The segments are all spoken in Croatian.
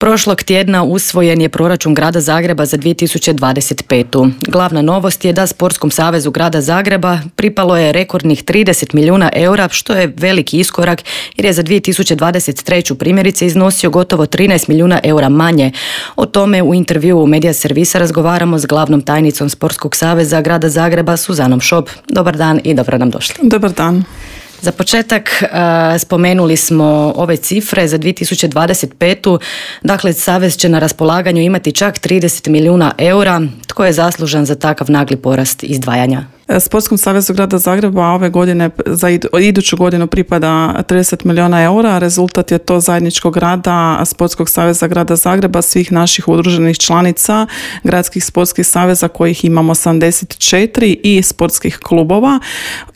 Prošlog tjedna usvojen je proračun Grada Zagreba za 2025. Glavna novost je da Sportskom savezu Grada Zagreba pripalo je rekordnih 30 milijuna eura, što je veliki iskorak jer je za 2023. primjerice iznosio gotovo 13 milijuna eura manje. O tome u intervjuu Media Servisa razgovaramo s glavnom tajnicom Sportskog saveza Grada Zagreba Suzanom Šop. Dobar dan i dobro nam došli. Dobar dan. Za početak spomenuli smo ove cifre za 2025. Dakle, Savez će na raspolaganju imati čak 30 milijuna eura. Tko je zaslužan za takav nagli porast izdvajanja? Sportskom savezu Grada Zagreba ove godine za iduću godinu pripada 30 milijuna eura. Rezultat je to zajedničkog rada Sportskog saveza Grada Zagreba, svih naših udruženih članica, gradskih sportskih saveza kojih imamo 74 i sportskih klubova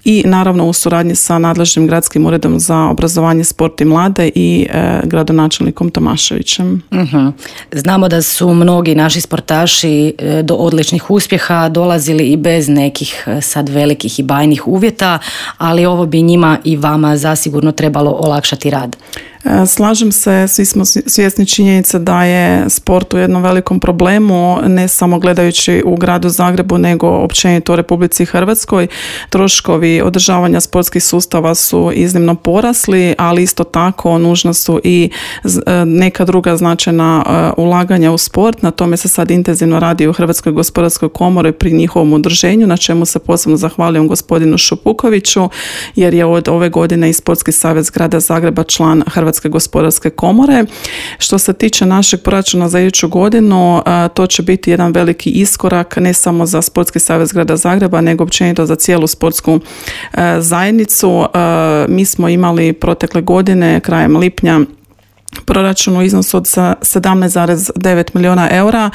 i naravno u suradnji sa nadležnim gradskim uredom za obrazovanje, sport i mlade i gradonačelnikom Tomaševićem. Znamo da su mnogi naši sportaši do odličnih uspjeha dolazili i bez nekih sad velikih i bajnih uvjeta, ali ovo bi njima i vama zasigurno trebalo olakšati rad. Slažem se, svi smo svjesni činjenice da je sport u jednom velikom problemu, ne samo gledajući u Gradu Zagrebu, nego općenito u Republici Hrvatskoj. Troškovi održavanja sportskih sustava su iznimno porasli, ali isto tako nužna su i neka druga značajna ulaganja u sport. Na tome se sad intenzivno radi u Hrvatskoj gospodarskoj komori pri njihovom udruženju, na čemu se posebno zahvaljujem gospodinu Šupukoviću, jer je od ove godine i Sportski savez Grada Zagreba član Hrvatske gospodarske komore. Što se tiče našeg proračuna za iduću godinu, to će biti jedan veliki iskorak ne samo za Sportski savez Grada Zagreba, nego općenito za cijelu sportsku zajednicu. Mi smo imali protekle godine, krajem lipnja, proračun u iznosu od 17,9 milijuna eura.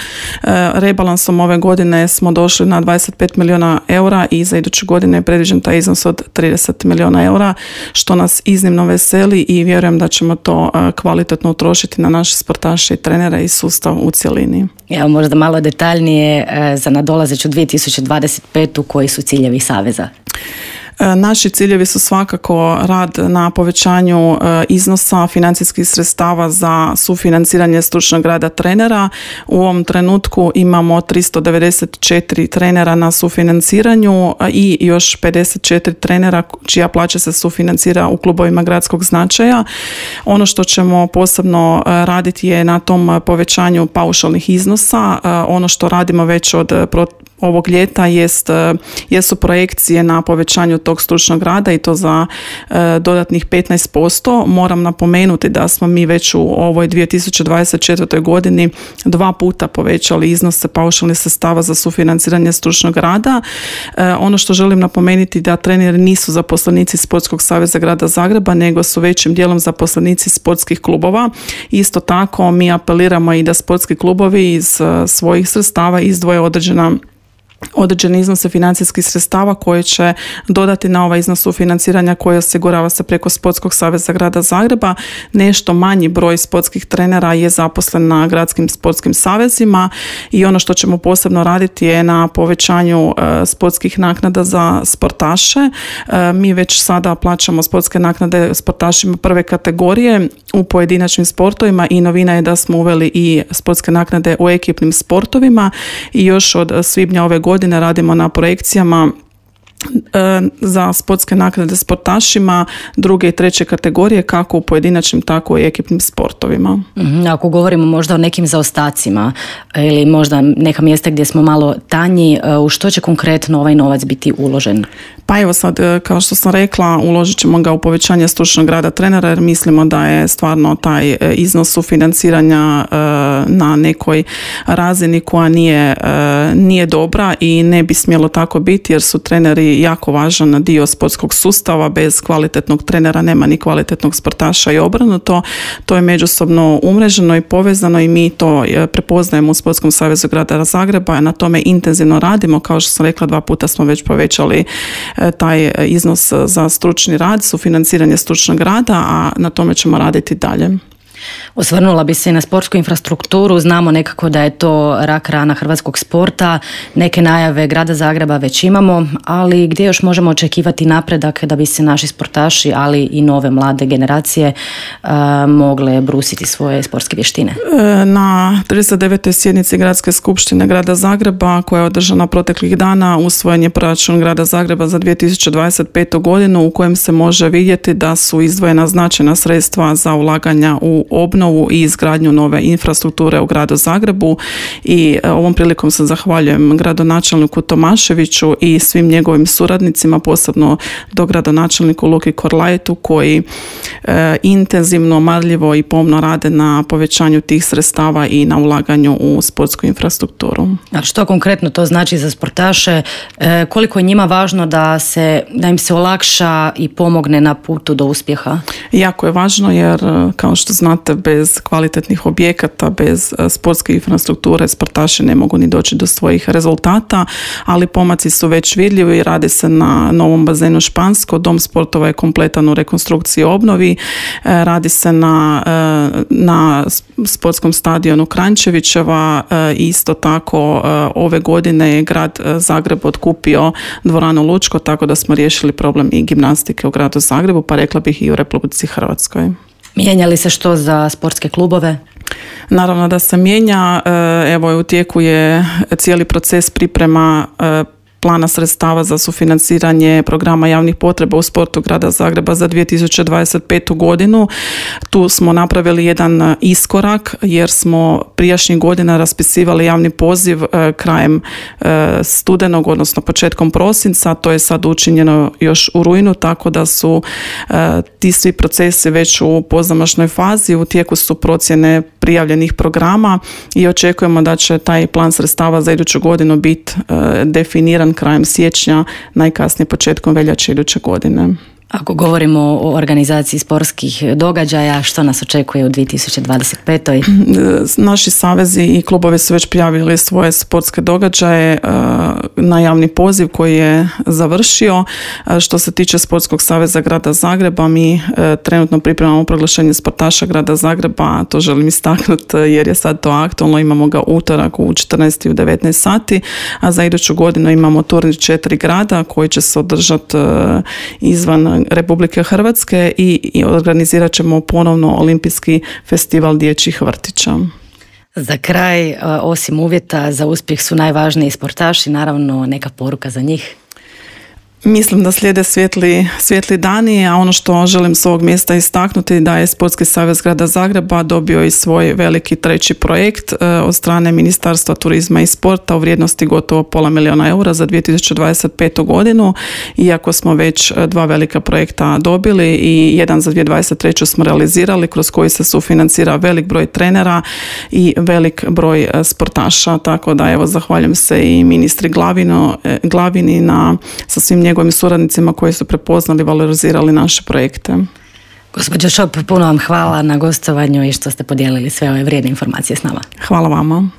Rebalansom ove godine smo došli na 25 milijuna eura i za iduću godinu je predviđen taj iznos od 30 milijuna eura, što nas iznimno veseli i vjerujem da ćemo to kvalitetno utrošiti na naše sportaše i trenere i sustav u cjelini. Evo možda malo detaljnije za nadolazeću 2025. koji su ciljevi Saveza? Naši ciljevi su svakako rad na povećanju iznosa financijskih sredstava za sufinanciranje stručnog rada trenera. U ovom trenutku imamo 394 trenera na sufinanciranju i još 54 trenera čija plaća se sufinancira u klubovima gradskog značaja. Ono što ćemo posebno raditi je na tom povećanju paušalnih iznosa. Ono što radimo već od ovog ljeta jesu projekcije na povećanju tog stručnog rada i to za dodatnih 15%. Moram napomenuti da smo mi već u ovoj 2024. godini 2 puta povećali iznose paušalnih sredstava za sufinanciranje stručnog rada. Ono što želim napomenuti da treneri nisu zaposlenici Sportskog saveza Grada Zagreba, nego su većim dijelom zaposlenici sportskih klubova. Isto tako mi apeliramo i da sportski klubovi iz svojih sredstava izdvoje određene iznose financijskih sredstava koje će dodati na ovaj iznos sufinanciranja koji osigurava se preko Sportskog saveza Grada Zagreba. Nešto manji broj sportskih trenera je zaposlen na gradskim sportskim savezima i ono što ćemo posebno raditi je na povećanju sportskih naknada za sportaše. Mi već sada plaćamo sportske naknade sportašima prve kategorije u pojedinačnim sportovima i novina je da smo uveli i sportske naknade u ekipnim sportovima i još od svibnja ove godine radimo na projekcijama za sportske naknade sportašima druge i treće kategorije, kako u pojedinačnim, tako i ekipnim sportovima. Ako govorimo možda o nekim zaostacima ili možda neka mjesta gdje smo malo tanji, u što će konkretno ovaj novac biti uložen? Pa evo sad, kao što sam rekla, uložit ćemo ga u povećanje stručnog rada trenera jer mislimo da je stvarno taj iznos sufinanciranja na nekoj razini koja nije dobra i ne bi smjelo tako biti jer su treneri jako važan dio sportskog sustava. Bez kvalitetnog trenera nema ni kvalitetnog sportaša i obrnuto. To je međusobno umreženo i povezano i mi to prepoznajemo u Sportskom savezu Grada Zagreba. Na tome intenzivno radimo. Kao što sam rekla, 2 puta smo već povećali taj iznos za stručni rad, sufinanciranje stručnog rada, a na tome ćemo raditi dalje. Osvrnula bi se i na sportsku infrastrukturu. Znamo nekako da je to rak rana hrvatskog sporta. Neke najave grada Zagreba već imamo, ali gdje još možemo očekivati napredak da bi se naši sportaši, ali i nove mlade generacije mogle brusiti svoje sportske vještine? Na 39. sjednici Gradske skupštine grada Zagreba, koja je održana proteklih dana, usvojen je proračun grada Zagreba za 2025. godinu, u kojem se može vidjeti da su izdvojena značajna sredstva za ulaganja u obnovu i izgradnju nove infrastrukture u gradu Zagrebu. I ovom prilikom se zahvaljujem gradonačelniku Tomaševiću i svim njegovim suradnicima, posebno dogradonačelniku Luki Korlajtu, koji intenzivno, marljivo i pomno rade na povećanju tih sredstava i na ulaganju u sportsku infrastrukturu. A što konkretno to znači za sportaše? Koliko je njima važno da im se olakša i pomogne na putu do uspjeha? Jako je važno jer, kao što znate, bez kvalitetnih objekata, bez sportske infrastrukture sportaši ne mogu ni doći do svojih rezultata, ali pomaci su već vidljivi i radi se na novom bazenu Špansko. Dom sportova je kompletan u rekonstrukciji i obnovi. Radi se na sportskom stadionu Kranjčevićeva. Isto tako ove godine je grad Zagreb otkupio dvoranu Lučko, tako da smo riješili problem i gimnastike u gradu Zagrebu, pa rekla bih i u Republici Hrvatskoj. Mijenja li se što za sportske klubove? Naravno da se mijenja. Evo, u tijeku je cijeli proces priprema plana sredstava za sufinanciranje programa javnih potreba u sportu grada Zagreba za 2025. godinu. Tu smo napravili jedan iskorak jer smo prijašnjih godina raspisivali javni poziv krajem studenog, odnosno početkom prosinca. To je sad učinjeno još u rujnu, tako da su ti svi procesi već u pozamašnoj fazi. U tijeku su procjene prijavljenih programa i očekujemo da će taj plan sredstava za iduću godinu biti definiran krajem siječnja, najkasnije početkom veljače iduće godine. Ako govorimo o organizaciji sportskih događaja, što nas očekuje u 2025. Naši savezi i klubovi su već prijavili svoje sportske događaje na javni poziv koji je završio. Što se tiče Sportskog saveza grada Zagreba, mi trenutno pripremamo proglašenje sportaša grada Zagreba, to želim istaknuti jer je sad to aktualno. Imamo ga utorak u 14 i u 19 sati, a za iduću godinu imamo turnir 4 grada koji će se održati izvan Republike Hrvatske i organizirat ćemo ponovno olimpijski festival dječjih vrtića. Za kraj, osim uvjeta za uspjeh su najvažniji sportaši, naravno neka poruka za njih. Mislim da slijede svijetli dani, a ono što želim s ovog mjesta istaknuti da je Sportski savez grada Zagreba dobio i svoj veliki treći projekt od strane Ministarstva turizma i sporta u vrijednosti gotovo $500 000 za 2025. godinu. Iako smo već 2 velika projekta dobili i jedan za 2023. smo realizirali, kroz koji se sufinancira velik broj trenera i velik broj sportaša. Tako da evo, zahvaljujem se i ministri Glavini sa svim njegovim suradnicima koji su prepoznali i valorizirali naše projekte. Gospođo Šop, puno vam hvala na gostovanju i što ste podijelili sve ove vrijedne informacije s nama. Hvala vama.